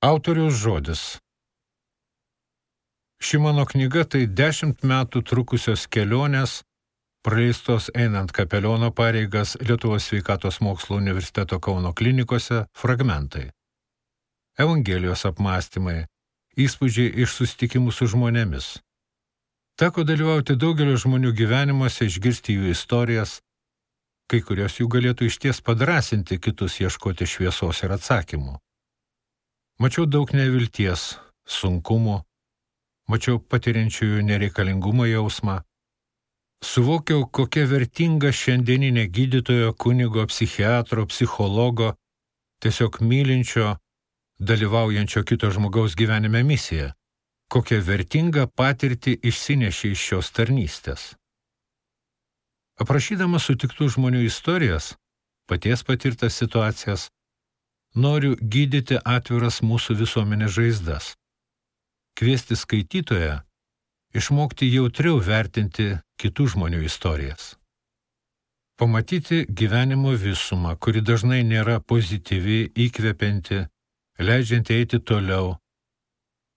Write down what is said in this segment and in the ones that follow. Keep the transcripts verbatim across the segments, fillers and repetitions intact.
Autoriaus žodis. Ši mano knyga tai dešimt metų trukusios kelionės, praleistos einant kapeliono pareigas Lietuvos sveikatos mokslo universiteto Kauno klinikose, fragmentai. Evangelijos apmąstymai, įspūdžiai iš susitikimų su žmonėmis. Teko dalyvauti daugelio žmonių gyvenimuose, išgirsti jų istorijas, kai kurios jų galėtų išties padrasinti kitus ieškoti šviesos ir atsakymų. Mačiau daug nevilties, sunkumų, mačiau patiriančiųjų nereikalingumo jausmą, suvokiau, kokia vertinga šiandieninė gydytojo, kunigo, psichiatro, psichologo, tiesiog mylinčio, dalyvaujančio kito žmogaus gyvenime misija, kokią vertingą patirtį išsinešė iš šios tarnystės. Aprašydamas sutiktų žmonių istorijas, paties patirtas situacijas, noriu gydyti atviras mūsų visuomenės žaizdas, kviesti skaitytoją, išmokti jautriau vertinti kitų žmonių istorijas. Pamatyti gyvenimo visumą, kuri dažnai nėra pozityvi, įkvepianti, leidžianti eiti toliau,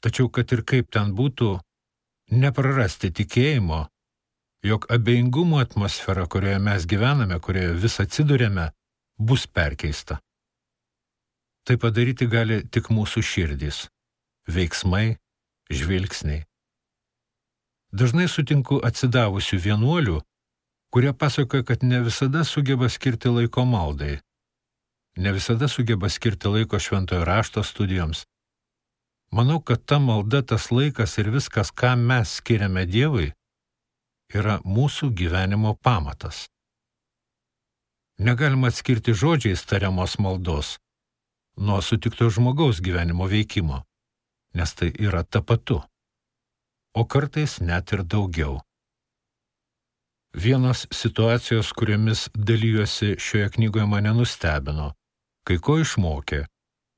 tačiau kad ir kaip ten būtų, neprarasti tikėjimo, jog abejingumo atmosfera, kurioje mes gyvename, kurioje vis atsiduriame, bus perkeista. Tai padaryti gali tik mūsų širdys, veiksmai, žvilgsniai. Dažnai sutinku atsidavusių vienuolių, kurie pasakoja, kad ne visada sugeba skirti laiko maldai, ne visada sugeba skirti laiko šventojo rašto studijoms. Manau, kad ta malda, tas laikas ir viskas, ką mes skiriame Dievui, yra mūsų gyvenimo pamatas. Negalima atskirti žodžiais tariamos maldos nuo sutikto žmogaus gyvenimo veikimo, nes tai yra tapatu, o kartais net ir daugiau. Vienos situacijos, kuriomis dalyjosi šioje knygoje, mane nustebino, kai ko išmokė,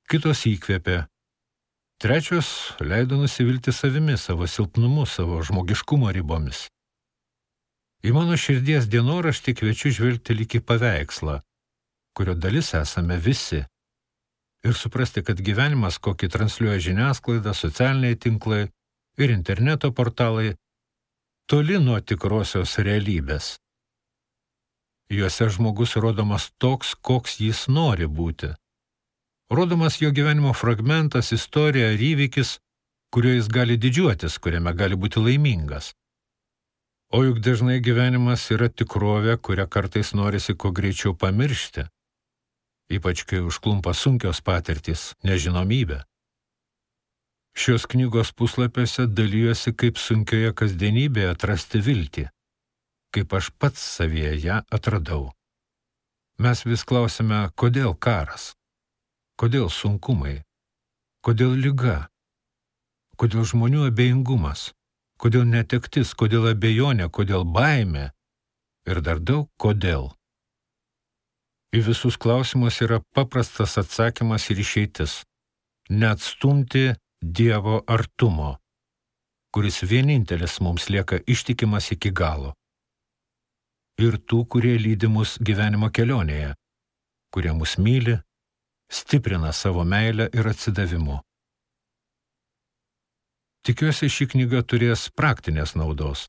kitos įkvėpė, trečios leido nusivilti savimi, savo silpnumu, savo žmogiškumo ribomis. Į mano širdies dienoraštį kviečiu žvelgti lyg į paveikslą, kurio dalis esame visi, ir suprasti, kad gyvenimas, kokį transliuoja žiniasklaida, socialiniai tinklai ir interneto portalai, toli nuo tikrosios realybės. Juose žmogus rodomas toks, koks jis nori būti. Rodomas jo gyvenimo fragmentas, istorija ar įvykis, kuriuo jis gali didžiuotis, kuriame gali būti laimingas. O juk dažnai gyvenimas yra tikrovė, kurią kartais norisi kuo greičiau pamiršti, ypač kai užklumpa sunkios patirtys, nežinomybė. Šios knygos puslapiuose dalyjosi, kaip sunkioje kasdienybėje atrasti viltį, kaip aš pats savyje ją atradau. Mes vis klausime, kodėl karas, kodėl sunkumai, kodėl liga, kodėl žmonių abejingumas, kodėl netektis, kodėl abejonė, kodėl baimė ir dar daug kodėl. Į visus klausimus yra paprastas atsakymas ir išeitis – neatstumti Dievo artumo, kuris vienintelis mums lieka ištikimas iki galo. Ir tų, kurie lydi mus gyvenimo kelionėje, kurie mus myli, stiprina savo meilę ir atsidavimu. Tikiuosi, ši knyga turės praktinės naudos.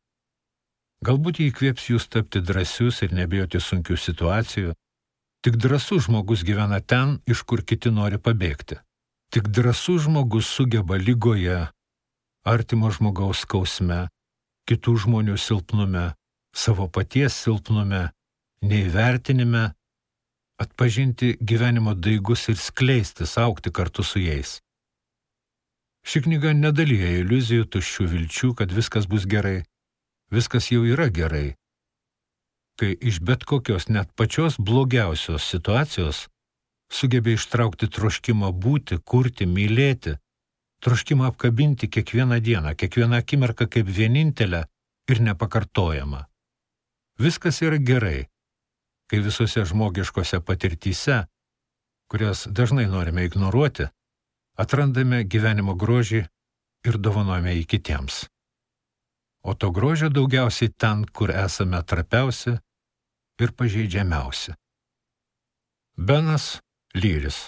Galbūt jį įkvėps jūs tapti drąsius ir nebijoti sunkių situacijų. Tik drąsus žmogus gyvena ten, iš kur kiti nori pabėgti. Tik drąsus žmogus sugeba ligoje, artimo žmogaus skausme, kitų žmonių silpnume, savo paties silpnume, neįvertinime, atpažinti gyvenimo daigus ir skleistis, augti kartu su jais. Ši knyga nedalyja iliuzijų, tuščių vilčių, kad viskas bus gerai. Viskas jau yra gerai. Kai iš bet kokios net pačios blogiausios situacijos sugebė ištraukti troškimą būti, kurti, mylėti, troškimą apkabinti kiekvieną dieną, kiekvieną akimirką kaip vienintelę ir nepakartojamą. Viskas yra gerai, kai visose žmogiškose patirtyse, kurias dažnai norime ignoruoti, atrandame gyvenimo grožį ir dovanojame jį kitiems. O to grožio daugiausiai ten, kur esame trapiausi ir pažeidžiamiausi. Benas Lyris.